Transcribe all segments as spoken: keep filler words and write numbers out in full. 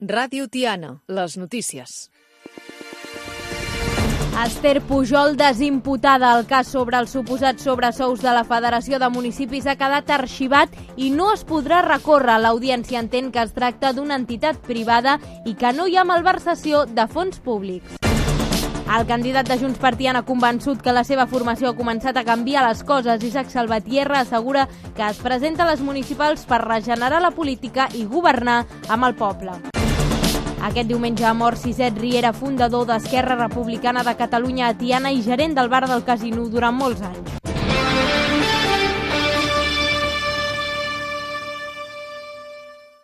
Ràdio Tiana, les notícies. Esther Pujol, desimputada al cas sobre els suposats sobresous de la Federació de Municipis, ha quedat arxivat i no es podrà recórrer. L'audiència entén que es tracta d'una entitat privada i que no hi ha malversació de fons públics. El candidat de Junts per Tiana ha convençut que la seva formació ha començat a canviar les coses. Isaac Salvatierra assegura que es presenta a les municipals per regenerar la política i governar amb el poble. Aquest diumenge ha mort Siset Riera, fundador d'Esquerra Republicana de Catalunya a Tiana i gerent del bar del Casino durant molts anys.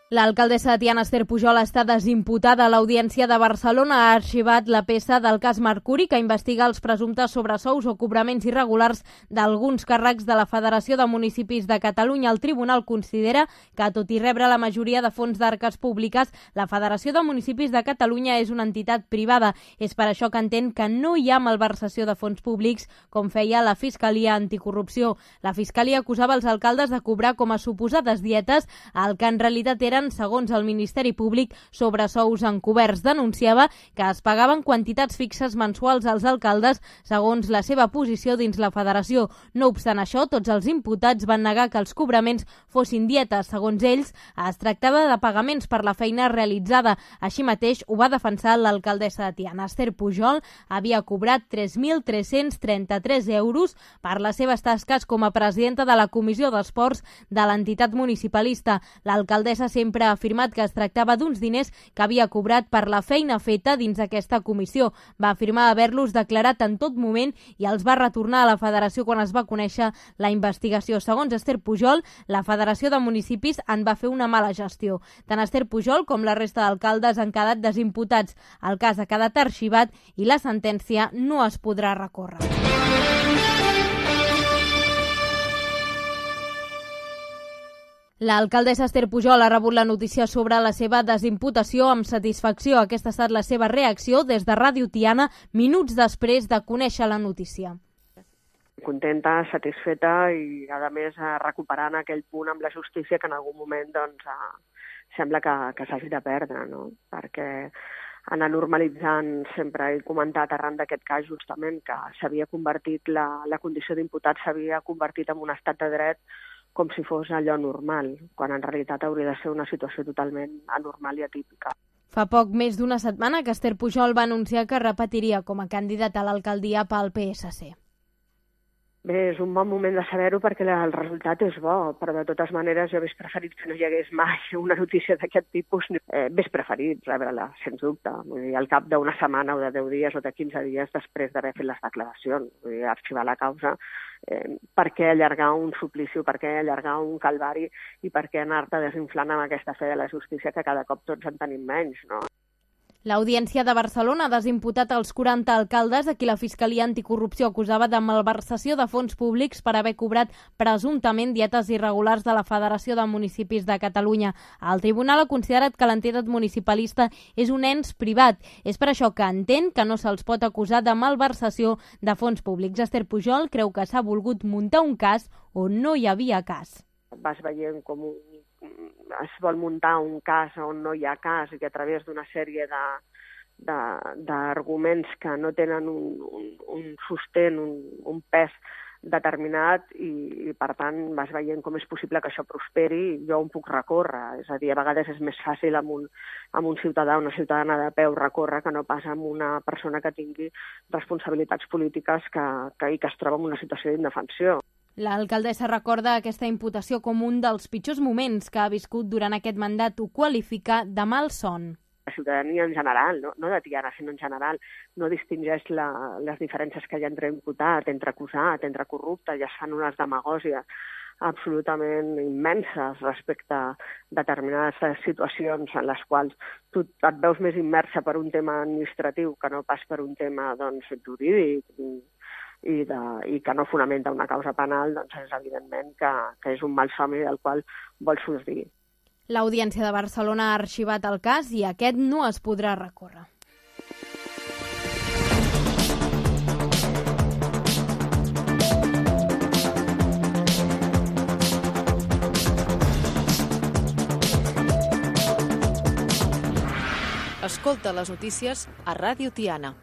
L'alcaldessa de Tiana, Esther Pujol, està desimputada. L'Audiència de Barcelona ha arxivat la peça del cas Mercuri, que investiga els presumptes sobresous o cobraments irregulars d'alguns càrrecs de la Federació de Municipis de Catalunya. El tribunal considera que, tot i rebre la majoria de fons d'arques públiques, la Federació de Municipis de Catalunya és una entitat privada. És per això que entén que no hi ha malversació de fons públics, com feia la Fiscalia Anticorrupció. La Fiscalia acusava els alcaldes de cobrar com a suposades dietes el que en realitat era segons el Ministeri Públic, sobresous encoberts. Denunciava que es pagaven quantitats fixes mensuals als alcaldes segons la seva posició dins la federació. No obstant això, tots els imputats van negar que els cobraments fossin dietes. Segons ells, es tractava de pagaments per la feina realitzada. Així mateix ho va defensar l'alcaldessa de Tiana. Esther Pujol havia cobrat tres mil tres-cents trenta-tres euros per les seves tasques com a presidenta de la Comissió d'Esports de l'entitat municipalista. L'alcaldessa sempre sempre ha afirmat que es tractava d'uns diners que havia cobrat per la feina feta dins aquesta comissió. Va afirmar haver-los declarat en tot moment i els va retornar a la federació quan es va conèixer la investigació. Segons Esther Pujol, la Federació de Municipis en va fer una mala gestió. Tant Esther Pujol com la resta d'alcaldes han quedat desimputats. El cas ha quedat arxivat i la sentència no es podrà recórrer. L'alcaldessa Esther Pujol ha rebut la notícia sobre la seva desimputació amb satisfacció. Aquesta ha estat la seva reacció des de Ràdio Tiana minuts després de conèixer la notícia. Contenta, satisfeta i, a més, recuperant aquell punt amb la justícia que en algun moment doncs, sembla que, que s'hagi de perdre, no? Perquè anar normalitzant, sempre he comentat arran d'aquest cas justament que s'havia convertit, la, la condició d'imputat s'havia convertit en un estat de dret com si fos allò normal, quan en realitat hauria de ser una situació totalment anormal i atípica. Fa poc més d'una setmana que Esther Pujol va anunciar que repetiria com a candidata a l'alcaldia pel P S C. Bé, és un bon moment de saber-ho perquè el resultat és bo, però de totes maneres jo hauria preferit que no hi hagués mai una notícia d'aquest tipus. Eh, hauria preferit rebre-la, sens dubte, vull dir, al cap d'una setmana o de deu dies o de quinze dies després d'haver fet les declaracions, vull dir, arxivar la causa. Eh, per què allargar un suplici, per què allargar un calvari i per què anar-te desinflant amb aquesta fe de la justícia que cada cop tots en tenim menys, no? L'Audiència de Barcelona ha desimputat els quaranta alcaldes a qui la Fiscalia Anticorrupció acusava de malversació de fons públics per haver cobrat presumptament dietes irregulars de la Federació de Municipis de Catalunya. El tribunal ha considerat que l'entitat municipalista és un ens privat. És per això que entén que no se'ls pot acusar de malversació de fons públics. Esther Pujol creu que s'ha volgut muntar un cas on no hi havia cas. Vas veient com un es vol muntar un cas on no hi ha cas i que a través d'una sèrie d'arguments que no tenen un, un, un sostén, un, un pes determinat i, i, per tant, vas veient com és possible que això prosperi i jo on puc recórrer. És a dir, a vegades és més fàcil amb un, amb un ciutadà o una ciutadana de peu recórrer que no pas amb una persona que tingui responsabilitats polítiques que, que, i que es troba en una situació d'indefensió. L'alcaldessa recorda aquesta imputació com un dels pitjors moments que ha viscut durant aquest mandat. Ho qualifica de malson. La ciutadania en general, no, no de Tiana, sinó en general, no distingeix la, les diferències que hi ha entre imputat, entre acusat, entre corrupte, i es fan unes demagògies absolutament immenses respecte a determinades situacions en les quals tu et veus més immersa per un tema administratiu que no pas per un tema doncs, jurídic, I, de, i que no fonamenta una causa penal, doncs és evidentment que, que és un malsomni del qual vol sortir. L'Audiència de Barcelona ha arxivat el cas i aquest no es podrà recórrer. Escolta les notícies a Ràdio Tiana.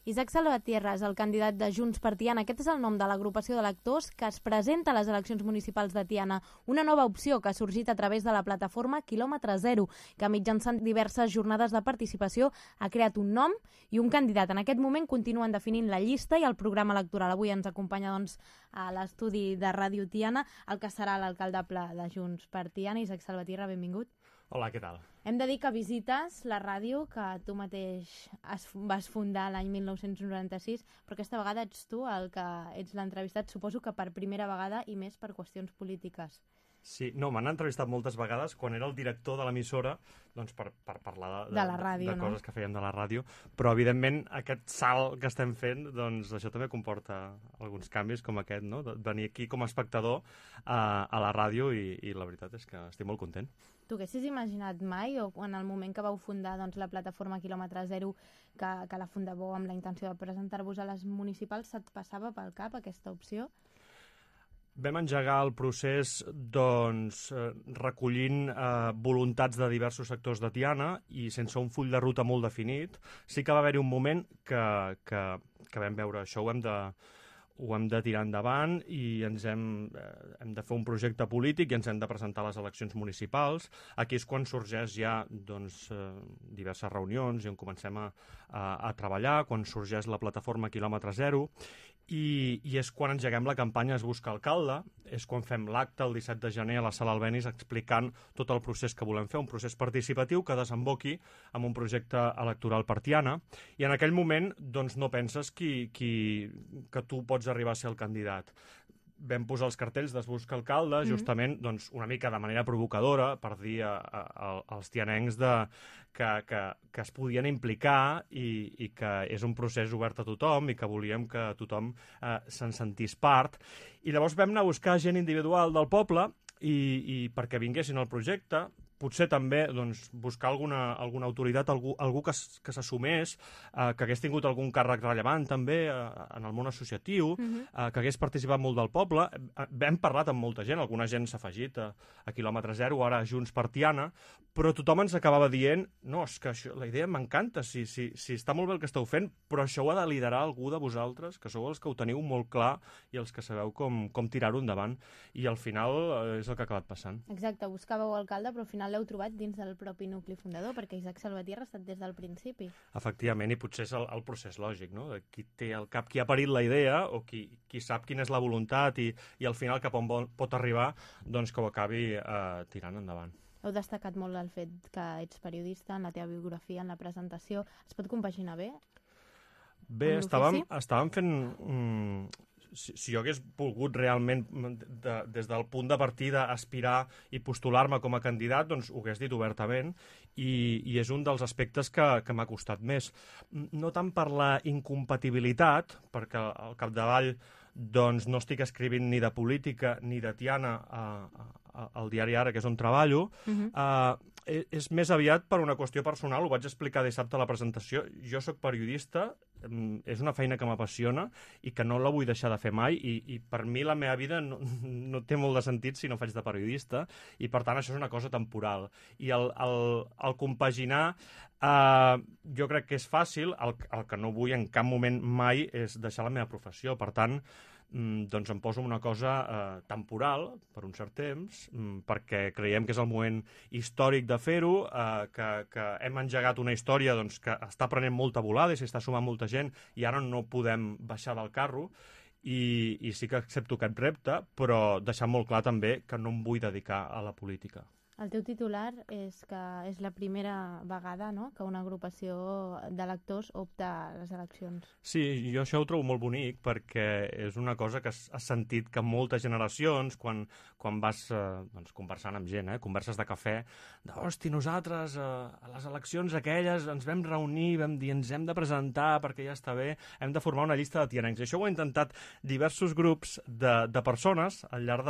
Isaac Salvatierra és el candidat de Junts per Tiana. Aquest és el nom de l'agrupació d'electors que es presenta a les eleccions municipals de Tiana. Una nova opció que ha sorgit a través de la plataforma Quilòmetre Zero, que mitjançant diverses jornades de participació ha creat un nom i un candidat. En aquest moment continuen definint la llista i el programa electoral. Avui ens acompanya doncs, a l'estudi de Ràdio Tiana el que serà l'alcaldable de Junts per Tiana, Isaac Salvatierra, benvingut. Hola, què tal? Hem de dir que visites la ràdio que tu mateix es, vas fundar l'any mil nou-cents noranta-sis, però aquesta vegada ets tu el que ets l'entrevistat, suposo que per primera vegada i més per qüestions polítiques. Sí, no, m'han entrevistat moltes vegades quan era el director de l'emissora, doncs per, per parlar de, de, la ràdio, de, de no? coses que fèiem de la ràdio, però evidentment aquest salt que estem fent, doncs això també comporta alguns canvis com aquest, no? De venir aquí com a espectador a, a la ràdio i, i la veritat és que estic molt content. Tu haguessis imaginat mai, o en el moment que vau fundar doncs, la plataforma Quilòmetre Zero, que, que la fundàveu amb la intenció de presentar-vos a les municipals, se't passava pel cap aquesta opció? Vam engegar el procés doncs, eh, recollint eh, voluntats de diversos sectors de Tiana i sense un full de ruta molt definit. Sí que va haver-hi un moment que, que, que vam veure això, ho hem de, ho hem de tirar endavant i ens hem, eh, hem de fer un projecte polític i ens hem de presentar a les eleccions municipals. Aquí és quan sorgeix ja doncs, eh, diverses reunions i on comencem a, a, a treballar, quan sorgeix la plataforma Quilòmetre Zero, i, i és quan engeguem la campanya Es busca alcalde, és quan fem l'acte el disset de gener a la Sala Albéniz explicant tot el procés que volem fer, un procés participatiu que desemboqui en un projecte electoral per Tiana, i en aquell moment doncs, no penses qui, qui, que tu pots arribar a ser el candidat. Vam posar els cartells d'Es busca alcalde, justament doncs, una mica de manera provocadora, per dir a, a, a, als tianencs de, que, que, que es podien implicar i, i que és un procés obert a tothom i que volíem que tothom eh, se'n sentís part. I llavors vam anar a buscar gent individual del poble i, i perquè vinguessin al projecte, potser també doncs, buscar alguna, alguna autoritat, algú, algú que, que s'assumés, eh, que hagués tingut algun càrrec rellevant també eh, en el món associatiu, uh-huh. eh, que hagués participat molt del poble. Eh, hem parlat amb molta gent, alguna gent s'ha afegit a, a Quilòmetre Zero, ara a Junts per Tiana, però tothom ens acabava dient no, és que això, la idea m'encanta, si, si, si està molt bé el que esteu fent, però això ho ha de liderar algú de vosaltres, que sou els que ho teniu molt clar i els que sabeu com, com tirar-ho endavant. I al final eh, és el que ha acabat passant. Exacte, buscàveu alcalde, però al final l'heu trobat dins del propi nucli fundador, perquè Isaac Salvatierra ha estat des del principi. Efectivament, i potser és el, el procés lògic, no? De qui té al cap, qui ha parit la idea o qui, qui sap quina és la voluntat i, i al final cap on pot arribar, doncs que ho acabi eh, tirant endavant. Heu destacat molt el fet que ets periodista, en la teva biografia, en la presentació. Es pot compaginar bé? Bé, estàvem, estàvem fent... Mm, si, si jo hagués volgut realment, de, des del punt de partida, aspirar i postular-me com a candidat, doncs ho hagués dit obertament i, i és un dels aspectes que, que m'ha costat més. No tant per la incompatibilitat, perquè al capdavall doncs, no estic escrivint ni de política ni de Tiana a, a, al diari Ara, que és on treballo, uh-huh. eh, és més aviat per una qüestió personal, ho vaig explicar dissabte a la presentació. Jo sóc periodista, és una feina que m'apassiona i que no la vull deixar de fer mai i, i per mi la meva vida no, no té molt de sentit si no faig de periodista i per tant això és una cosa temporal. I el, el, el compaginar eh, jo crec que és fàcil, el, el que no vull en cap moment mai és deixar la meva professió, per tant doncs em poso una cosa eh, temporal per un cert temps, perquè creiem que és el moment històric de fer-ho, eh, que, que hem engegat una història doncs, que està prenent molta volada i s'està sumant molta gent i ara no podem baixar del carro i, i sí que accepto aquest repte, però deixar molt clar també que no em vull dedicar a la política. El teu titular és que és la primera vegada, no?, que una agrupació d'electors opta a les eleccions. Sí, jo això ho trobo molt bonic perquè és una cosa que has sentit que moltes generacions, quan, quan vas eh, doncs, conversant amb gent, eh, converses de cafè, de, hosti, nosaltres eh, a les eleccions aquelles ens vam reunir, vam dir ens hem de presentar perquè ja està bé, hem de formar una llista de tianencs. I això ho ha intentat diversos grups de, de persones al llarg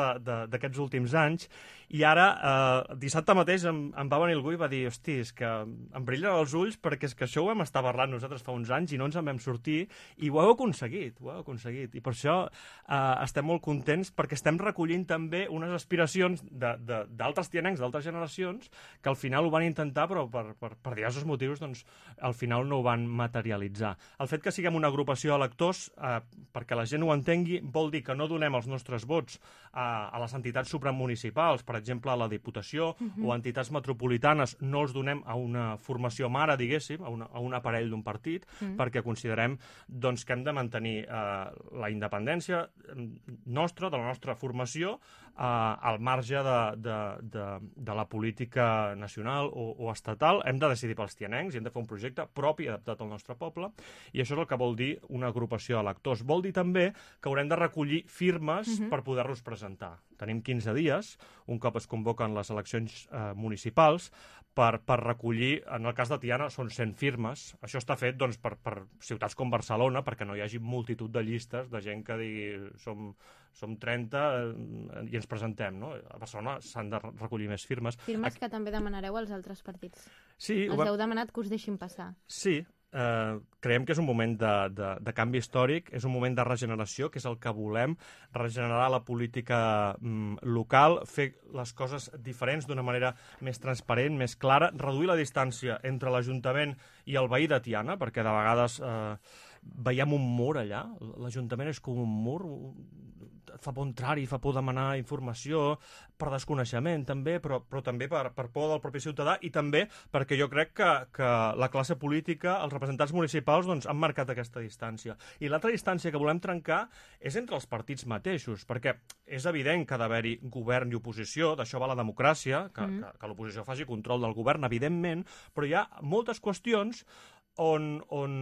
d'aquests últims anys i ara, eh, dissabte mateix em, em va venir algú i va dir, hosti, és que em brillen els ulls perquè és que això ho vam estar parlant nosaltres fa uns anys i no ens en vam sortir i ho heu aconseguit, ho heu aconseguit. I per això eh, estem molt contents perquè estem recollint també unes aspiracions d'altres tianencs, d'altres generacions, que al final ho van intentar però per, per, per diversos motius doncs, al final no ho van materialitzar. El fet que siguem una agrupació de lectors, eh, perquè la gent ho entengui, vol dir que no donem els nostres vots a, a les entitats supramunicipals, per exemple, a la Diputació, Uh-huh. o entitats metropolitanes, no els donem a una formació mare, diguéssim, a, una, a un aparell d'un partit, uh-huh. perquè considerem doncs, que hem de mantenir eh, la independència nostra, de la nostra formació, eh, al marge de, de, de, de la política nacional o, o estatal. Hem de decidir pels tianencs i hem de fer un projecte propi adaptat al nostre poble, i això és el que vol dir una agrupació de lectors. Vol dir també que haurem de recollir firmes uh-huh. per poder-los presentar. Tenim quinze dies, un cop es convoquen les eleccions eh, municipals, per, per recollir, en el cas de Tiana, són cent firmes. Això està fet doncs, per, per ciutats com Barcelona, perquè no hi hagi multitud de llistes de gent que digui som, som trenta eh, i ens presentem. No? A Barcelona s'han de recollir més firmes. Firmes Aquí... que també demanareu als altres partits. Sí, Els va... heu demanat que us deixin passar. Sí. Eh, creiem que és un moment de, de, de canvi històric, és un moment de regeneració, que és el que volem, regenerar la política mm, local, fer les coses diferents d'una manera més transparent, més clara, reduir la distància entre l'Ajuntament i el veí de Tiana, perquè de vegades eh, veiem un mur allà, l'Ajuntament és com un mur, fa por entrar-hi, fa por demanar informació, per desconeixement també, però, però també per, per por del propi ciutadà, i també perquè jo crec que, que la classe política, els representants municipals, doncs, han marcat aquesta distància. I l'altra distància que volem trencar és entre els partits mateixos, perquè és evident que ha d'haver-hi govern i oposició, d'això va la democràcia, que, mm. que, que l'oposició faci control del govern, evidentment, però hi ha moltes qüestions On, on,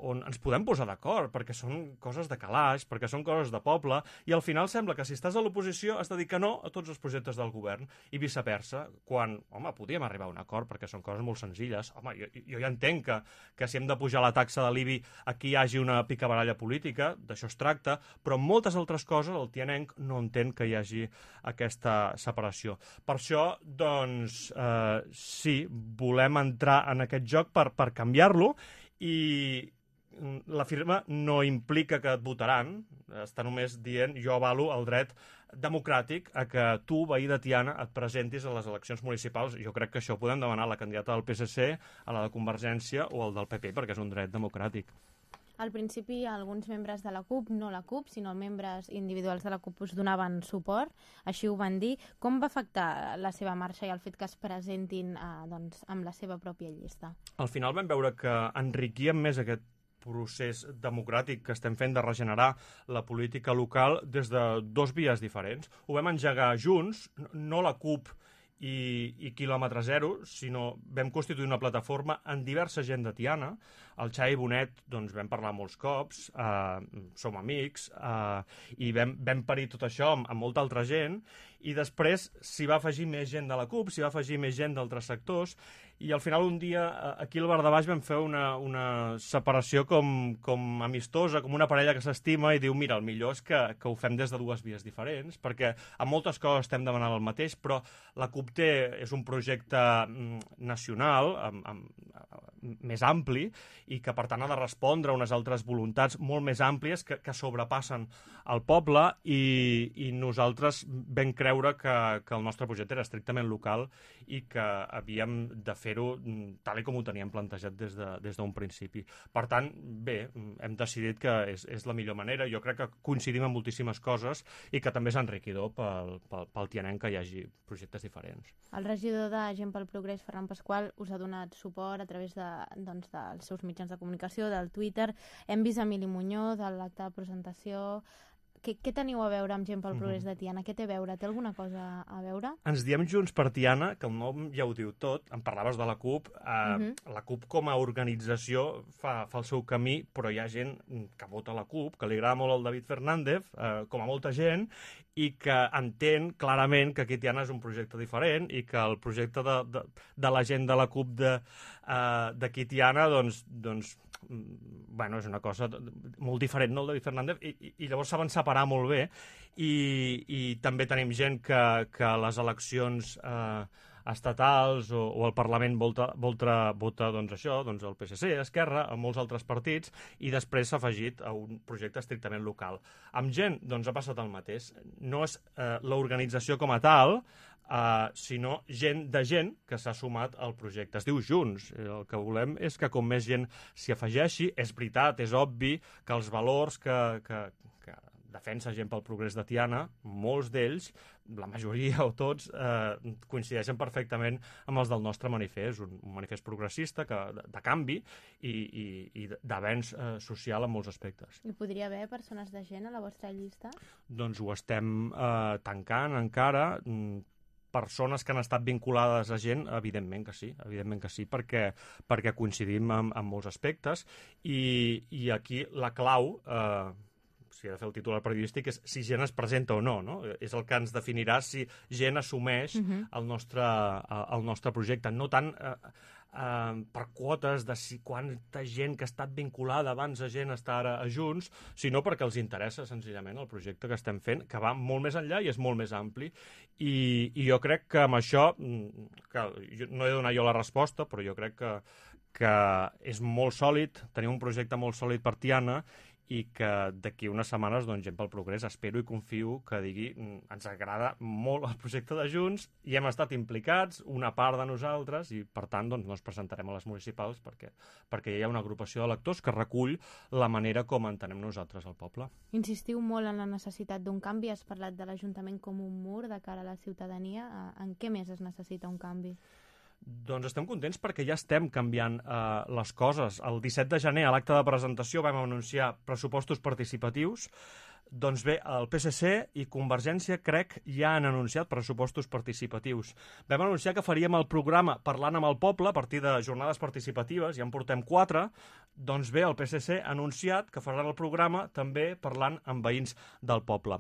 on ens podem posar d'acord, perquè són coses de calaix, perquè són coses de poble, i al final sembla que si estàs a l'oposició has de dir que no a tots els projectes del govern, i viceversa, quan, home, podíem arribar a un acord, perquè són coses molt senzilles. Home, jo, jo ja entenc que, que si hem de pujar la taxa de l'I B I aquí hi hagi una picabaralla política, d'això es tracta, però en moltes altres coses el tianenc no entén que hi hagi aquesta separació. Per això, doncs, eh, sí, volem entrar en aquest joc per, per canviar-lo, i la firma no implica que et votaran, està només dient jo avalo el dret democràtic a que tu, veí de Tiana, et presentis a les eleccions municipals. Jo crec que això ho podem demanar a la candidata del P S C, a la de Convergència o al del P P, perquè és un dret democràtic. Al principi, alguns membres de la CUP, no la CUP, sinó membres individuals de la CUP, us donaven suport, així ho van dir. Com va afectar la seva marxa i el fet que es presentin eh, doncs, amb la seva pròpia llista? Al final vam veure que enriquíem més aquest procés democràtic que estem fent de regenerar la política local des de dos vies diferents. Ho vam engegar junts, no la CUP i, i quilòmetre zero, sinó vam constituir una plataforma amb diversa gent de Tiana. El Xavi Bonet, doncs, vam parlar molts cops, eh, som amics, eh, i vam, vam parir tot això amb, amb molta altra gent, i després s'hi va afegir més gent de la CUP, s'hi va afegir més gent d'altres sectors, i al final un dia aquí al Bar de Baix vam fer una, una separació com, com amistosa, com una parella que s'estima, i diu, mira, el millor és que, que ho fem des de dues vies diferents, perquè en moltes coses estem demanant el mateix, però la CUP té, és un projecte nacional, amb, amb, més ampli, i que per tant ha de respondre a unes altres voluntats molt més àmplies que, que sobrepassen el poble, i, i nosaltres vam creure que, que el nostre projecte era estrictament local i que havíem de fer-ho tal com ho teníem plantejat des de, des d'un principi. Per tant, bé, hem decidit que és, és la millor manera. Jo crec que coincidim en moltíssimes coses i que també és enriquidor pel, pel, pel tianenc que hi hagi projectes diferents. El regidor de Gent pel Progrés, Ferran Pasqual, us ha donat suport a través de, doncs, dels seus mitjans de comunicació, del Twitter. Hem vist Emili Muñoz, de l'acte de presentació. Què, què teniu a veure amb Gent pel Progrés de Tiana? Què té a veure? Té alguna cosa a veure? Ens diem Junts per Tiana, que el nom ja ho diu tot. En parlaves de la CUP. Eh, uh-huh. La CUP com a organització fa, fa el seu camí, però hi ha gent que vota la CUP, que li agrada molt el David Fernández, eh, com a molta gent, i que entén clarament que aquí Tiana és un projecte diferent i que el projecte de, de, de la gent de la CUP d'aquí uh, Tiana, doncs, doncs bueno, és una cosa molt diferent, no, el David Fernández, i, i, i llavors saben separar molt bé, i, i també tenim gent que, que a les eleccions eh, estatals o, o el Parlament vota, vota, vota doncs això, doncs el P S C, Esquerra, amb molts altres partits, i després s'ha afegit a un projecte estrictament local. Amb gent, doncs ha passat el mateix. No és eh, l'organització com a tal, Uh, sinó gent de gent que s'ha sumat al projecte. Es diu Junts. El que volem és que com més gent s'hi afegeixi. És veritat, és obvi que els valors que, que, que defensa gent pel progrés de Tiana, molts d'ells, la majoria o tots, eh, coincideixen perfectament amb els del nostre manifest, un, un manifest progressista que, de, de canvi i, i, i d'avenç eh, social en molts aspectes. Hi podria haver persones de gent a la vostra llista? Doncs ho estem eh, tancant encara. Persones que han estat vinculades a gent, evidentment que sí, evidentment que sí, perquè, perquè coincidim en, en molts aspectes, i, i aquí la clau, eh, si he de fer el titular periodístic, és si gent es presenta o no, no? És el que ens definirà si gent assumeix uh-huh. el, nostre, el nostre projecte, no tant eh, eh, per quotes de si quanta gent que ha estat vinculada abans a gent està ara a Junts, sinó perquè els interessa senzillament el projecte que estem fent, que va molt més enllà i és molt més ampli. I, i jo crec que amb això, que jo, no he de donar jo la resposta, però jo crec que, que és molt sòlid, tenim un projecte molt sòlid per Tiana, i que d'aquí unes setmanes, doncs, Gent pel Progrés, espero i confio que digui ens agrada molt el projecte de Junts i hem estat implicats, una part de nosaltres, i per tant doncs, no ens presentarem a les municipals perquè, perquè hi ha una agrupació d'electors que recull la manera com entenem nosaltres el poble. Insistiu molt en la necessitat d'un canvi, has parlat de l'Ajuntament com un mur de cara a la ciutadania. En què més es necessita un canvi? Doncs estem contents perquè ja estem canviant eh, les coses. El disset de gener, a l'acte de presentació, vam anunciar pressupostos participatius. Doncs bé, el P S C i Convergència, crec, ja han anunciat pressupostos participatius. Vam anunciar que faríem el programa Parlant amb el Poble a partir de jornades participatives, ja en portem quatre. Doncs bé, el P S C ha anunciat que faran el programa també parlant amb veïns del poble.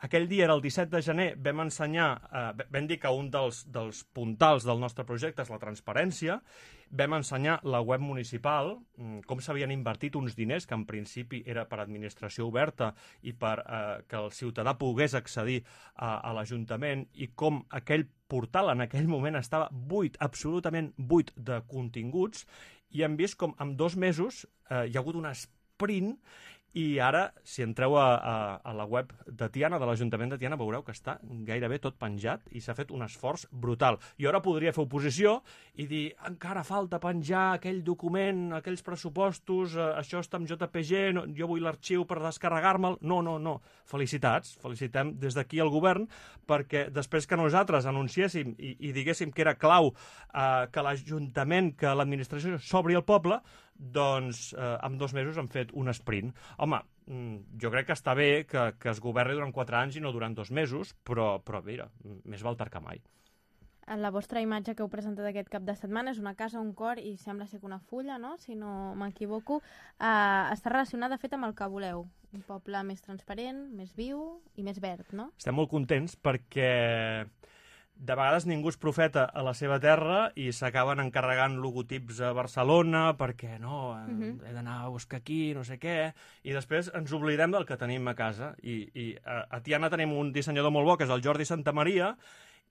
Aquell dia era el disset de gener, vam ensenyar, eh, vam dir que un dels, dels puntals del nostre projecte és la transparència, vam ensenyar la web municipal, com s'havien invertit uns diners que en principi era per administració oberta i per eh, que el ciutadà pogués accedir a, a l'Ajuntament, i com aquell portal en aquell moment estava buit, absolutament buit de continguts, i hem vist com en dos mesos eh, hi ha hagut un sprint. I ara, si entreu a, a, a la web de Tiana, de l'Ajuntament de Tiana, veureu que està gairebé tot penjat i s'ha fet un esforç brutal. I ara podria fer oposició i dir encara falta penjar aquell document, aquells pressupostos, eh, això està amb J P G, no, jo vull l'arxiu per descarregar-me'l. No, no, no. Felicitats. Felicitem des d'aquí al govern, perquè després que nosaltres anunciéssim i, i diguéssim que era clau eh, que l'Ajuntament, que l'administració s'obri al poble, doncs eh, en dos mesos han fet un sprint. Home, jo crec que està bé que, que es governi durant quatre anys i no durant dos mesos, però, però mira, més val tard que mai. La vostra imatge que heu presentat aquest cap de setmana és una casa, un cor i sembla ser que una fulla, no? Si no m'equivoco. Eh, està relacionada, de fet, amb el que voleu. Un poble més transparent, més viu i més verd, no? Estem molt contents perquè de vegades ningú és profeta a la seva terra i s'acaben encarregant logotips a Barcelona perquè no, uh-huh. he d'anar a buscar aquí, no sé què, i després ens oblidem del que tenim a casa. I, i a, a Tiana tenim un dissenyador molt bo, que és el Jordi Santamaria,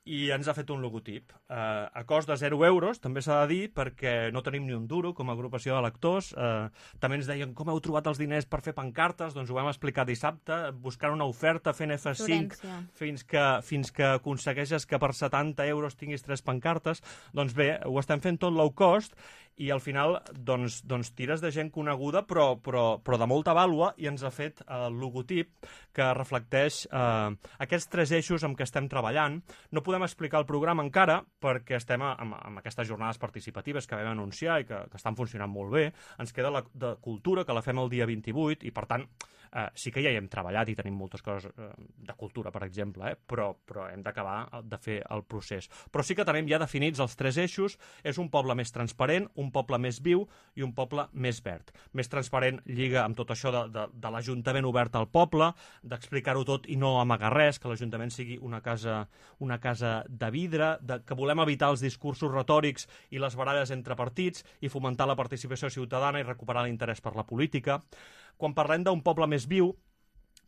i ens ha fet un logotip. Uh, a cost de zero euros, també s'ha de dir, perquè no tenim ni un duro com a agrupació de lectors. Uh, també ens deien com heu trobat els diners per fer pancartes, doncs ho vam explicar dissabte, buscant una oferta, fent F cinc, fins que, fins que aconsegueixes que per setanta euros tinguis tres pancartes. Doncs bé, ho estem fent tot low cost, i al final doncs, doncs tires de gent coneguda però, però, però de molta vàlua, i ens ha fet el logotip que reflecteix eh, aquests tres eixos amb què estem treballant. No podem explicar el programa encara perquè estem amb, amb aquestes jornades participatives que vam anunciar i que, que estan funcionant molt bé. Ens queda la de cultura, que la fem el dia vint-i-vuit, i per tant eh, sí que ja hi hem treballat i tenim moltes coses eh, de cultura, per exemple, eh, però, però hem d'acabar de fer el procés. Però sí que tenim ja definits els tres eixos. És un poble més transparent, un poble més viu i un poble més verd. Més transparent lliga amb tot això de, de, de l'Ajuntament obert al poble, d'explicar-ho tot i no amagar res, que l'Ajuntament sigui una casa, una casa de vidre, de, que volem evitar els discursos retòrics i les baralles entre partits i fomentar la participació ciutadana i recuperar l'interès per la política. Quan parlem d'un poble més viu,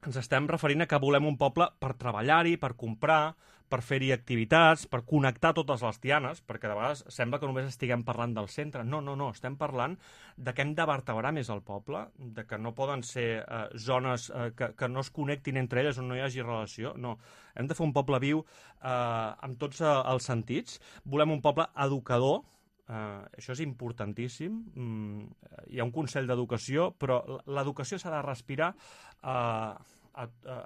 ens estem referint a que volem un poble per treballar-hi, per comprar, per fer-hi activitats, per connectar totes les tianes, perquè de vegades sembla que només estiguem parlant del centre. No, no, no, estem parlant de que hem de vertebrar més el poble, de que no poden ser eh, zones eh, que, que no es connectin entre elles on no hi hagi relació. No, hem de fer un poble viu eh, amb tots eh, els sentits. Volem un poble educador. Uh, això és importantíssim. Mm, hi ha un Consell d'Educació, però l'educació s'ha de respirar uh, a, a,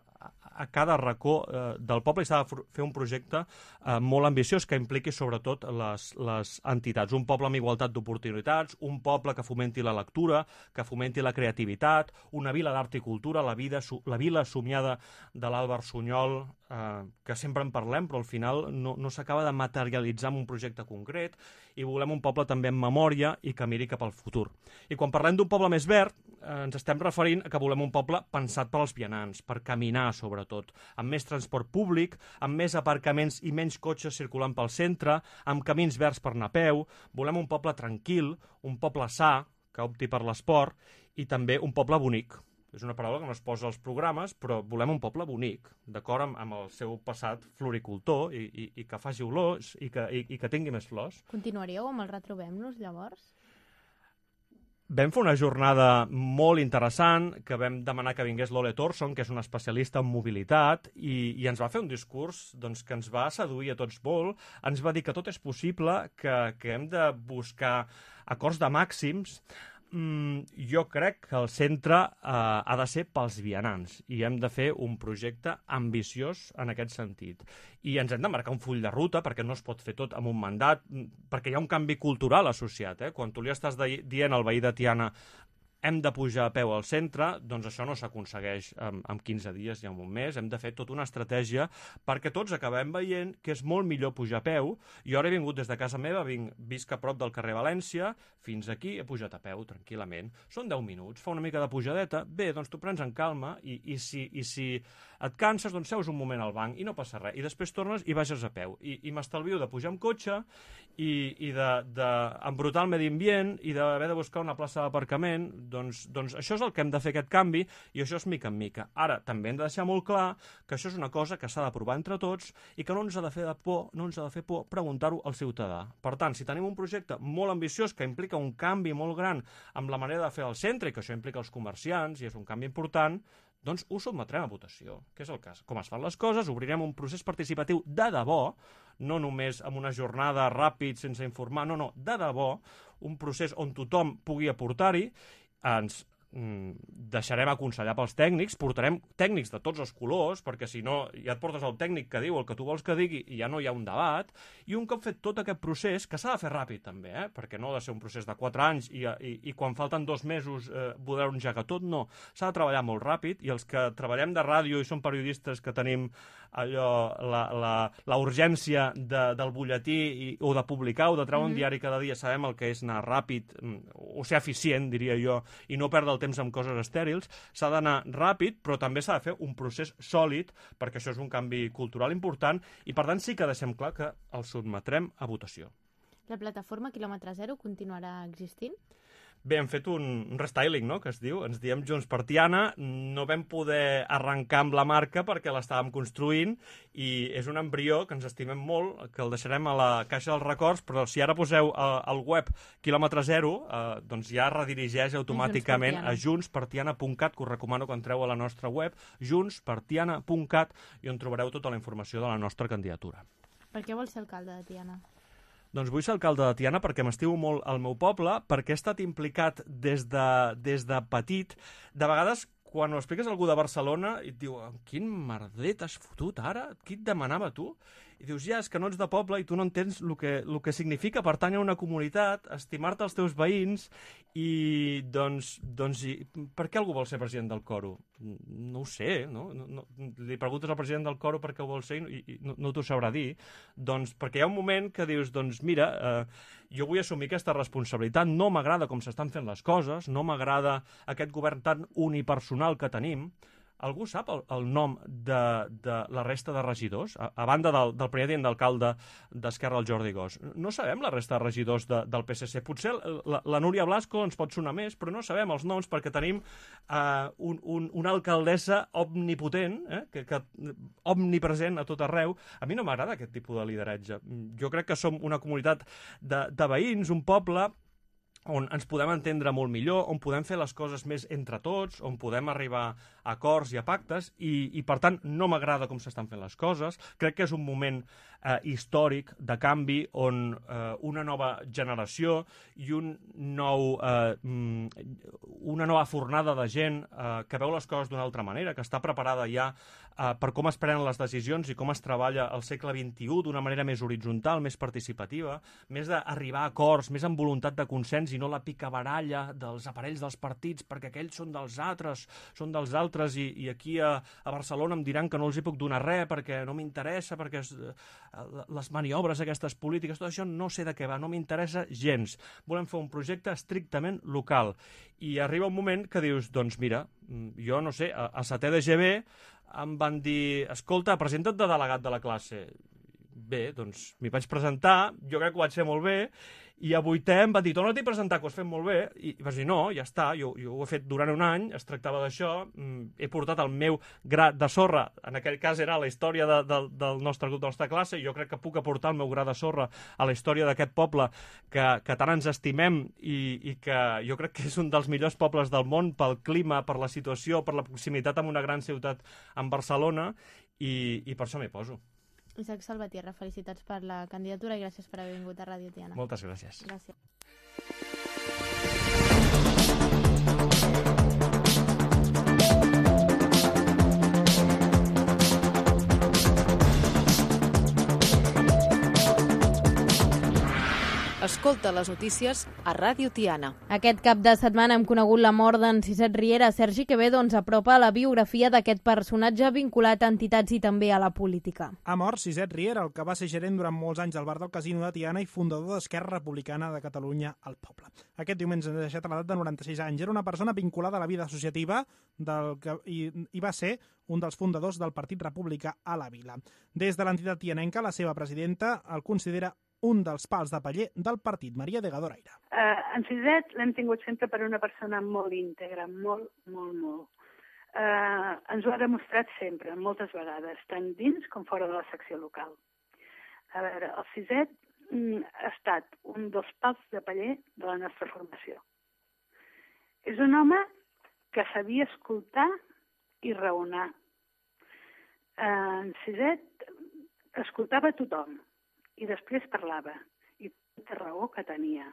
a cada racó uh, del poble i s'ha de fer un projecte uh, molt ambiciós que impliqui sobretot les, les entitats. Un poble amb igualtat d'oportunitats, un poble que fomenti la lectura, que fomenti la creativitat, una vila d'art i cultura, la, vida, la vila somiada de l'Àlvar Sunyol, Uh, que sempre en parlem, però al final no, no s'acaba de materialitzar en un projecte concret, i volem un poble també en memòria i que miri cap al futur. I quan parlem d'un poble més verd, uh, ens estem referint a que volem un poble pensat per als vianants, per caminar sobretot, amb més transport públic, amb més aparcaments i menys cotxes circulant pel centre, amb camins verds per anar a peu. Volem un poble tranquil, un poble sa, que opti per l'esport, i també un poble bonic. És una paraula que no es posa als programes, però volem un poble bonic, d'acord amb, amb el seu passat floricultor i, i, i que faci olors i que, i, i que tingui més flors. Continuaríeu amb el Retrobem-nos, llavors? Vam fer una jornada molt interessant, que vam demanar que vingués l'Ole Thorson, que és un especialista en mobilitat, i, i ens va fer un discurs doncs, que ens va seduir a tots molt. Ens va dir que tot és possible, que, que hem de buscar acords de màxims. Mm, jo crec que el centre eh, ha de ser pels vianants i hem de fer un projecte ambiciós en aquest sentit. I ens hem de marcar un full de ruta, perquè no es pot fer tot amb un mandat, perquè hi ha un canvi cultural associat. Eh? Quan tu li estàs de, dient al veí de Tiana hem de pujar a peu al centre, doncs això no s'aconsegueix en, en quinze dies i en un mes. Hem de fer tota una estratègia perquè tots acabem veient que és molt millor pujar a peu. Jo ara he vingut des de casa meva, vinc, visc a prop del carrer València, fins aquí he pujat a peu tranquil·lament. Són deu minuts, fa una mica de pujadeta. Bé, doncs tu prens en calma i, i, si, i si et canses, doncs seus un moment al banc i no passa res. I després tornes i baixes a peu. I, i m'estalvio de pujar amb cotxe i, i d'embrutar el medi ambient i d'haver de buscar una plaça d'aparcament. Doncs, doncs això és el que hem de fer, aquest canvi, i això és mica en mica. Ara, també hem de deixar molt clar que això és una cosa que s'ha d'aprovar entre tots i que no ens ha de fer de por, no ens ha de fer por preguntar-ho al ciutadà. Per tant, si tenim un projecte molt ambiciós que implica un canvi molt gran amb la manera de fer el centre i que això implica els comerciants i és un canvi important, doncs ho sotmetrem a votació, que és el cas. Com es fan les coses, obrirem un procés participatiu de debò, no només amb una jornada ràpid sense informar, no, no, de debò, un procés on tothom pugui aportar-hi. Ens deixarem aconsellar pels tècnics, portarem tècnics de tots els colors, perquè si no ja et portes el tècnic que diu el que tu vols que digui i ja no hi ha un debat, i un cop fet tot aquest procés, que s'ha de fer ràpid també, eh? Perquè no ha de ser un procés de quatre anys i, i, i quan falten dos mesos eh, poder engegar tot, no, s'ha de treballar molt ràpid, i els que treballem de ràdio i som periodistes que tenim allò, la, la, la urgència de, del butlletí i, o de publicar o de treure mm-hmm. un diari cada dia, sabem el que és anar ràpid o ser eficient, diria jo, i no perdre el temps amb coses estèrils. S'ha d'anar ràpid, però també s'ha de fer un procés sòlid, perquè això és un canvi cultural important, i per tant sí que deixem clar que el sotmetrem a votació. La plataforma Quilòmetre Zero continuarà existint? Bé, hem fet un, un restyling, no?, que es diu. Ens diem Junts per Tiana. No vam poder arrencar amb la marca perquè l'estàvem construint i és un embrió que ens estimem molt, que el deixarem a la caixa dels records, però si ara poseu eh, al web Quilòmetre Zero, eh, doncs ja redirigeix automàticament a junts per tiana punt cat, que us recomano que entreu a la nostra web, junts per tiana punt cat, i on trobareu tota la informació de la nostra candidatura. Per què vols ser alcalde de Tiana? Doncs vull ser alcalde de Tiana perquè m'estimo molt al meu poble, perquè he estat implicat des de, des de petit. De vegades, quan ho expliques a algú de Barcelona, i et diu, quin merder t'has fotut ara? Qui et demanava tu? I dius, ja, és que no ets de poble i tu no entens el que, el que significa pertànyer a una comunitat, estimar-te els teus veïns, i doncs, doncs i, per què algú vol ser president del Coro? No ho sé, no? no, no li preguntes al president del Coro per què ho vol ser i, i no, no t'ho sabrà dir. Doncs perquè hi ha un moment que dius, doncs mira, eh, jo vull assumir aquesta responsabilitat, no m'agrada com s'estan fent les coses, no m'agrada aquest govern tan unipersonal que tenim. algú sap el, el nom de, de la resta de regidors? A, a banda del, del primer tinent d'alcalde d'Esquerra, el Jordi Gos. No sabem la resta de regidors de, del P S C. Potser la, la Núria Blasco ens pot sonar més, però no sabem els noms perquè tenim eh, un, un, una alcaldessa omnipotent, eh, que, que, omnipresent a tot arreu. A mi no m'agrada aquest tipus de lideratge. Jo crec que som una comunitat de, de veïns, un poble on ens podem entendre molt millor, on podem fer les coses més entre tots, on podem arribar a acords i a pactes, i, i per tant no m'agrada com s'estan fent les coses. Crec que és un moment eh, històric de canvi on eh, una nova generació i un nou, eh, una nova fornada de gent eh, que veu les coses d'una altra manera, que està preparada ja eh, per com es prenen les decisions i com es treballa al segle vint-i-u d'una manera més horitzontal, més participativa, més d'arribar a acords, més amb voluntat de consens i no la picabaralla dels aparells dels partits perquè aquells són dels altres, són dels altres i, i aquí a, a Barcelona em diran que no els hi puc donar res perquè no m'interessa, perquè es, les maniobres aquestes polítiques, tot això no sé de què va, no m'interessa gens. Volem fer un projecte estrictament local. I arriba un moment que dius, doncs mira, jo no sé, a, a setè de G B em van dir, escolta, presenta't de delegat de la classe. Bé, doncs m'hi vaig presentar, jo crec que ho vaig fer molt bé, i a vuitè em va dir, torna-t'hi a presentar, que ho has fet molt bé, i vaig dir, no, ja està, jo, jo ho he fet durant un any, es tractava d'això, he portat el meu gra de sorra, en aquell cas era la història de, de, del nostre grup, de la nostra classe, i jo crec que puc aportar el meu gra de sorra a la història d'aquest poble que, que tant ens estimem i, i que jo crec que és un dels millors pobles del món pel clima, per la situació, per la proximitat amb una gran ciutat en Barcelona, i, i per això m'hi poso. Isaac Salvatierra, felicitats per la candidatura i gràcies per haver vingut a Ràdio Tiana. Moltes gràcies. Gràcies. Escolta les notícies a Ràdio Tiana. Aquest cap de setmana hem conegut la mort d'en Ciset Riera. Sergi Quevedo ens apropa la biografia d'aquest personatge vinculat a entitats i també a la política. Ha mort Ciset Riera, el que va ser gerent durant molts anys del bar del Casino de Tiana i fundador d'Esquerra Republicana de Catalunya al Poble. Aquest diumenge ens ha deixat a l'edat de noranta-sis anys. Era una persona vinculada a la vida associativa del que, i, i va ser un dels fundadors del Partit Republicà a la Vila. Des de l'entitat tianenca, la seva presidenta el considera un dels pals de paller del partit, Maria de Gadoraire. Uh, en Ciset l'hem tingut sempre per una persona molt íntegra, molt, molt, molt. Uh, ens ho ha demostrat sempre, moltes vegades, tant dins com fora de la secció local. A veure, el Ciset mm, ha estat un dels pals de paller de la nostra formació. És un home que sabia escoltar i raonar. Uh, en Ciset escoltava tothom i després parlava. I quanta raó que tenia.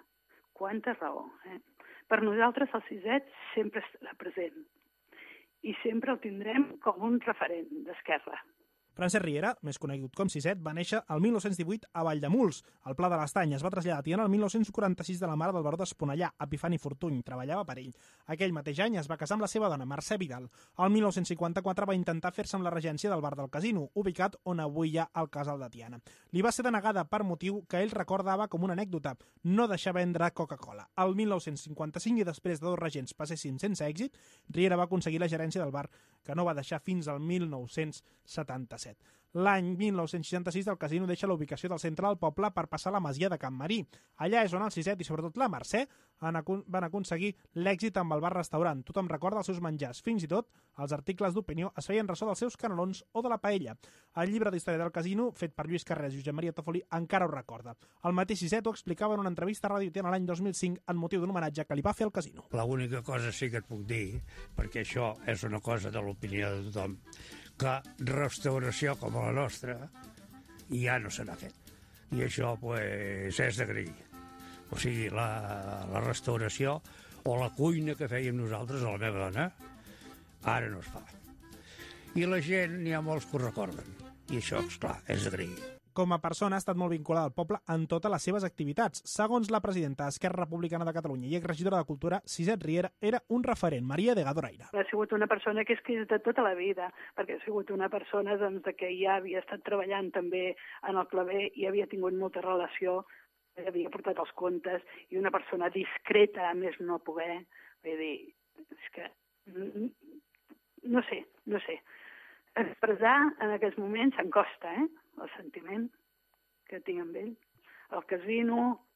Quanta raó. Eh? Per nosaltres el Ciset sempre estarà present. I sempre el tindrem com un referent d'Esquerra. Francesc Riera, més conegut com Ciset, va néixer el mil nou-cents divuit a Valldemuls, al Pla de l'Estany. Es va traslladar a Tiana el mil nou-cents quaranta-sis de la mare del baró d'Esponellà, Epifani Fortuny. Treballava per ell. Aquell mateix any es va casar amb la seva dona, Mercè Vidal. El mil nou-cents cinquanta-quatre va intentar fer-se amb la regència del bar del Casino, ubicat on avui hi ha el casal de Tiana. Li va ser denegada per motiu que ell recordava com una anècdota, no deixar vendre Coca-Cola. El mil nou-cents cinquanta-cinc, i després de dos regents passessin sense èxit, Riera va aconseguir la gerència del bar, que no va deixar fins al mil nou-cents setanta-set. L'any mil nou-cents seixanta-sis el Casino deixa la ubicació del centre del poble per passar a la masia de Can Marí. Allà és on el Ciset i sobretot la Mercè van aconseguir l'èxit amb el bar-restaurant. Tothom recorda els seus menjars, fins i tot els articles d'opinió es feien ressò dels seus canelons o de la paella. El llibre d'història del Casino, fet per Lluís Carrés i Josep Maria Tofoli, encara ho recorda. El mateix Ciset ho explicava en una entrevista a Ràdio Tiana l'any dos mil cinc en motiu d'un homenatge que li va fer al Casino. L'única cosa sí que et puc dir, perquè això és una cosa de l'opinió de tothom, que restauració com la nostra ja no se n'ha fet. I això pues, és d'agrair. O sigui, la, la restauració o la cuina que fèiem nosaltres a la meva dona, ara no es fa. I la gent, n'hi ha molts que ho recorden. I això, esclar, és d'agrair. Com a persona ha estat molt vinculada al poble en totes les seves activitats. Segons la presidenta d'Esquerra Republicana de Catalunya i exregidora de Cultura, Ciset Riera era un referent, Maria de Gadoraire. Ha sigut una persona que he escrit de tota la vida, perquè ha sigut una persona doncs, que ja havia estat treballant també en el claver i havia tingut molta relació, havia portat els contes, i una persona discreta, a més no poder. Vull dir, és que no sé, no sé. Expressar en aquests moments em costa, eh? El sentiment que tinc amb ell. El casino,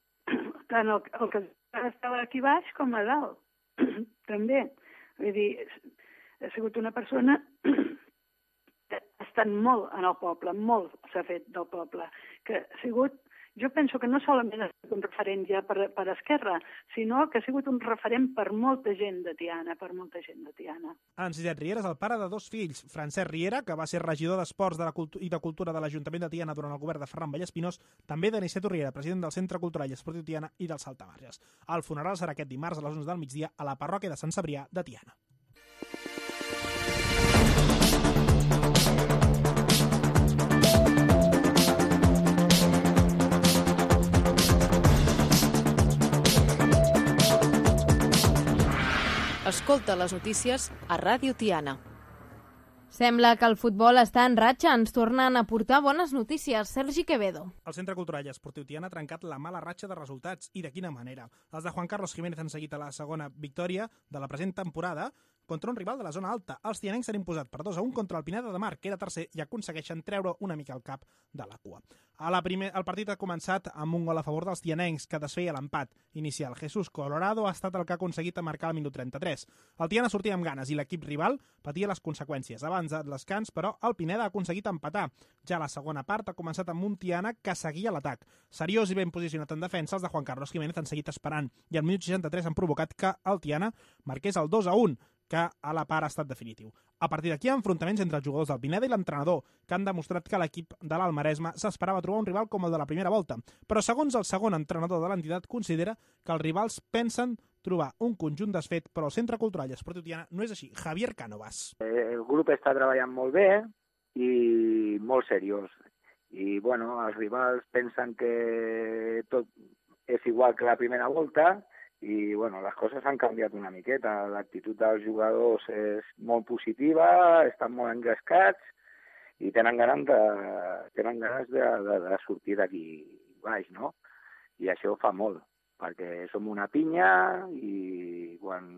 tant el, el casino estava aquí baix com a dalt, també. Vull dir, ha sigut una persona que ha estat molt en el poble, molt s'ha fet del poble, que ha sigut, jo penso que no solament ha sigut un referent ja per, per Esquerra, sinó que ha sigut un referent per molta gent de Tiana, per molta gent de Tiana. Enciset Riera és el pare de dos fills, Francesc Riera, que va ser regidor d'Esports de la Cultu i de Cultura de l'Ajuntament de Tiana durant el govern de Ferran Vallespinós, també d'Aniceto Riera, president del Centre Cultural i Esportiu Tiana i del Saltamarges. El funeral serà aquest dimarts a les onze del migdia a la parròquia de Sant Cebrià de Tiana. Escolta les notícies a Ràdio Tiana. Sembla que el futbol està en ratxa. Ens tornen a portar bones notícies. Sergi Quevedo. El Centre Cultural i Esportiu Tiana ha trencat la mala ratxa de resultats. I de quina manera? Els de Juan Carlos Jiménez han seguit a la segona victòria de la present temporada contra un rival de la zona alta. Els tianencs s'han imposat per dos a un contra el Pineda de Mar, que era tercer, i aconsegueixen treure una mica el cap de la cua. A la primer, el partit ha començat amb un gol a favor dels tianencs, que desfeia l'empat inicial. Jesús Colorado ha estat el que ha aconseguit marcar al minut trenta-tres. El Tiana sortia amb ganes i l'equip rival patia les conseqüències. Abans de l'escans, però, el Pineda ha aconseguit empatar. Ja la segona part ha començat amb un Tiana que seguia l'atac. Seriós i ben posicionat en defensa, els de Juan Carlos Jiménez han seguit esperant i al minut seixanta-tres han provocat que el Tiana marqués el dos a un, que a la part ha estat definitiu. A partir d'aquí, enfrontaments entre els jugadors del Pineda i l'entrenador, que han demostrat que l'equip de l'Alt Maresme s'esperava trobar un rival com el de la primera volta. Però segons el segon entrenador de l'entitat, considera que els rivals pensen trobar un conjunt desfet, però el Centre Cultural i Esportiu Tiana no és així. Javier Cánovas. El grup està treballant molt bé i molt seriós. I, bueno, els rivals pensen que tot és igual que la primera volta, i bueno, les coses han canviat una miqueta. L'actitud dels jugadors és molt positiva, estan molt engrescats i tenen ganes de, tenen ganes de, de, de sortir d'aquí baix, no? I això fa molt, perquè som una pinya i quan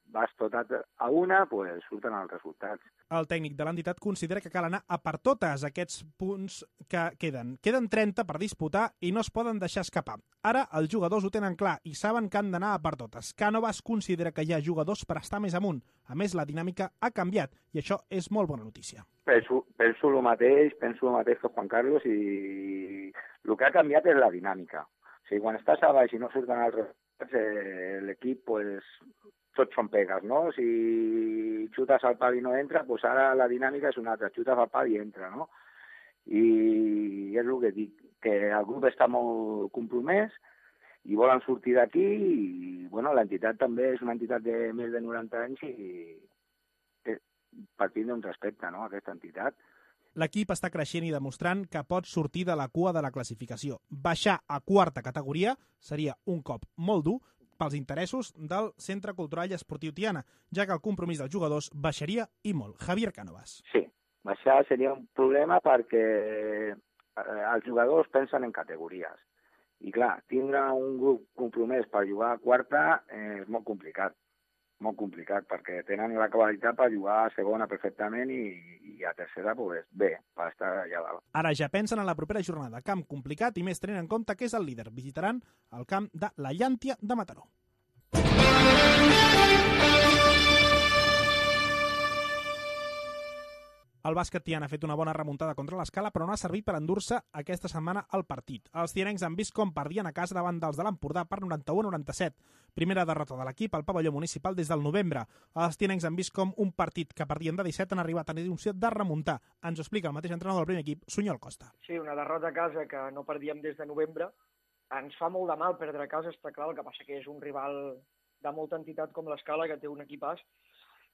vas tot a una, pues, surten els resultats. El tècnic de l'entitat considera que cal anar a per totes aquests punts que queden. Queden trenta per disputar i no es poden deixar escapar. Ara els jugadors ho tenen clar i saben que han d'anar a per totes. Cánovas considera que hi ha jugadors per estar més amunt. A més, la dinàmica ha canviat i això és molt bona notícia. Penso, penso el mateix, penso el mateix que Juan Carlos, i el que ha canviat és la dinàmica. O sigui, quan estàs a baix i no surten els resultats, eh, l'equip, pues, tots són pegues, no? Si xutes al pal i no entra, doncs ara la dinàmica és una altra, xutes al pal i entra, no? I és el que dic, que el grup està molt compromès i volen sortir d'aquí i, bueno, l'entitat també és una entitat de més de noranta anys i partint d'un respecte, no?, a aquesta entitat. L'equip està creixent i demostrant que pot sortir de la cua de la classificació. Baixar a quarta categoria seria un cop molt dur pels interessos del Centre Cultural i Esportiu Tiana, ja que el compromís dels jugadors baixaria i molt. Javier Cánovas. Sí, baixar seria un problema perquè els jugadors pensen en categories. I clar, tindre un grup compromès per jugar a quarta és molt complicat. Molt complicat, perquè tenen la qualitat per jugar a segona perfectament i, i a tercera, pues, bé, per estar allà dalt. Ara ja pensen en la propera jornada. Camp complicat i més tenint en compte que és el líder. Visitaran el camp de la Llàntia de Mataró. El bàsquet Tiana ha fet una bona remuntada contra l'Escala, però no ha servit per endur-se aquesta setmana el partit. Els tianencs han vist com perdien a casa davant dels de l'Empordà per noranta-u a noranta-set. Primera derrota de l'equip al pavelló municipal des del novembre. Els tianencs han vist com un partit que perdien de disset han arribat a la intenció de remuntar. Ens ho explica el mateix entrenador del primer equip, Sunyol Costa. Sí, una derrota a casa que no perdíem des de novembre. Ens fa molt de mal perdre a casa, està clar, el que passa que és un rival de molta entitat com l'Escala, que té un equipàs.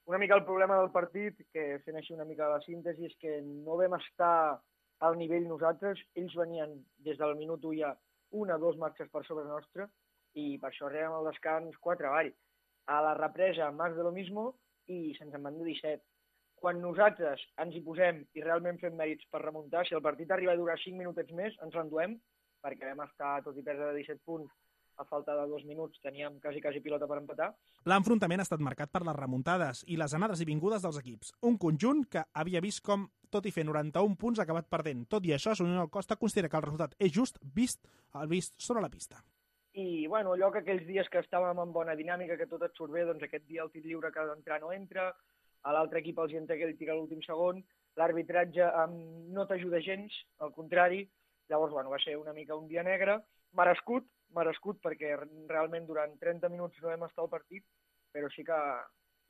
Una mica el problema del partit, que fent així una mica la síntesi, és que no vam estar al nivell nosaltres. Ells venien des del minut u ja una o dos marxes per sobre nostra i per això arribem al descans quatre avall. A la represa, más de lo mismo, i se'ns en van de disset. Quan nosaltres ens hi posem i realment fem mèrits per remuntar, si el partit arriba a durar cinc minutets més, ens l'enduem, perquè vam estar, tot i perdre de disset punts, a falta de dos minuts teníem quasi, quasi pilota per empatar. L'enfrontament ha estat marcat per les remuntades i les anades i vingudes dels equips. Un conjunt que havia vist com, tot i fer noranta-un punts, ha acabat perdent. Tot i això, Unión Costa considera que el resultat és just vist el vist sobre la pista. I, bueno, allò que aquells dies que estàvem en bona dinàmica, que tot et surt bé, doncs aquest dia el tir lliure que ha d'entrar no entra, a l'altre equip els hi entra que ell tira l'últim segon, l'arbitratge no t'ajuda gens, al contrari. Llavors, bueno, va ser una mica un dia negre, merescut, merescut perquè realment durant trenta minuts no hem estat al partit, però sí que,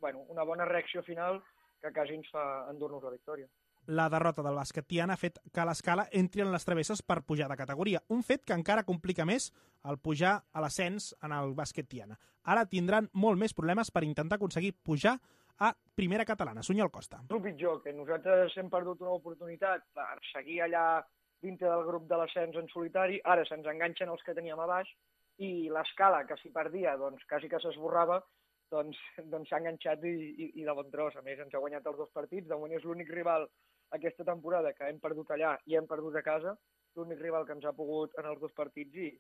bueno, una bona reacció final que quasi ens fa endur-nos la victòria. La derrota del bàsquet Tiana ha fet que l'Escala entri en les travesses per pujar de categoria, un fet que encara complica més el pujar a l'ascens en el bàsquet Tiana. Ara tindran molt més problemes per intentar aconseguir pujar a primera catalana. Sunyol Costa. El pitjor, que nosaltres hem perdut una oportunitat per seguir allà dintre del grup de l'ascens en solitari, ara se'ns enganxen els que teníem a baix i l'Escala, que si perdia, doncs quasi que s'esborrava, doncs s'ha doncs enganxat i, i, i de bon tros. A més, ens ha guanyat els dos partits. De moment és l'únic rival aquesta temporada que hem perdut allà i hem perdut a casa, l'únic rival que ens ha pogut en els dos partits i,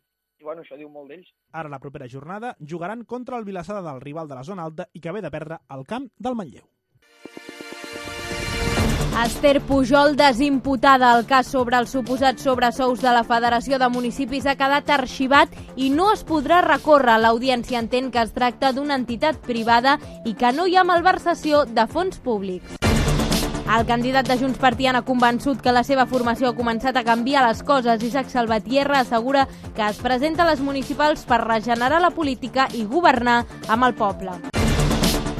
i bueno, això diu molt d'ells. Ara, la propera jornada, jugaran contra el Vilassar de Dalt, rival de la zona alta i que ve de perdre al camp del Manlleu. Esther Pujol, desimputada al cas sobre els suposats sobresous de la Federació de Municipis, ha quedat arxivat i no es podrà recórrer. L'audiència entén que es tracta d'una entitat privada i que no hi ha malversació de fons públics. El candidat de Junts per Tiana ha convençut que la seva formació ha començat a canviar les coses. Isaac Salvatierra assegura que es presenta a les municipals per regenerar la política i governar amb el poble.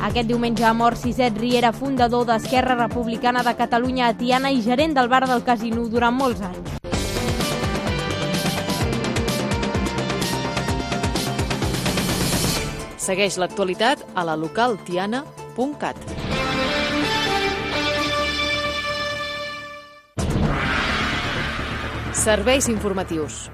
Aquest diumenge ha mort Siset Riera, fundador d'Esquerra Republicana de Catalunya a Tiana i gerent del bar del Casino durant molts anys. Segueix l'actualitat a la local tiana punt cat. Serveis informatius.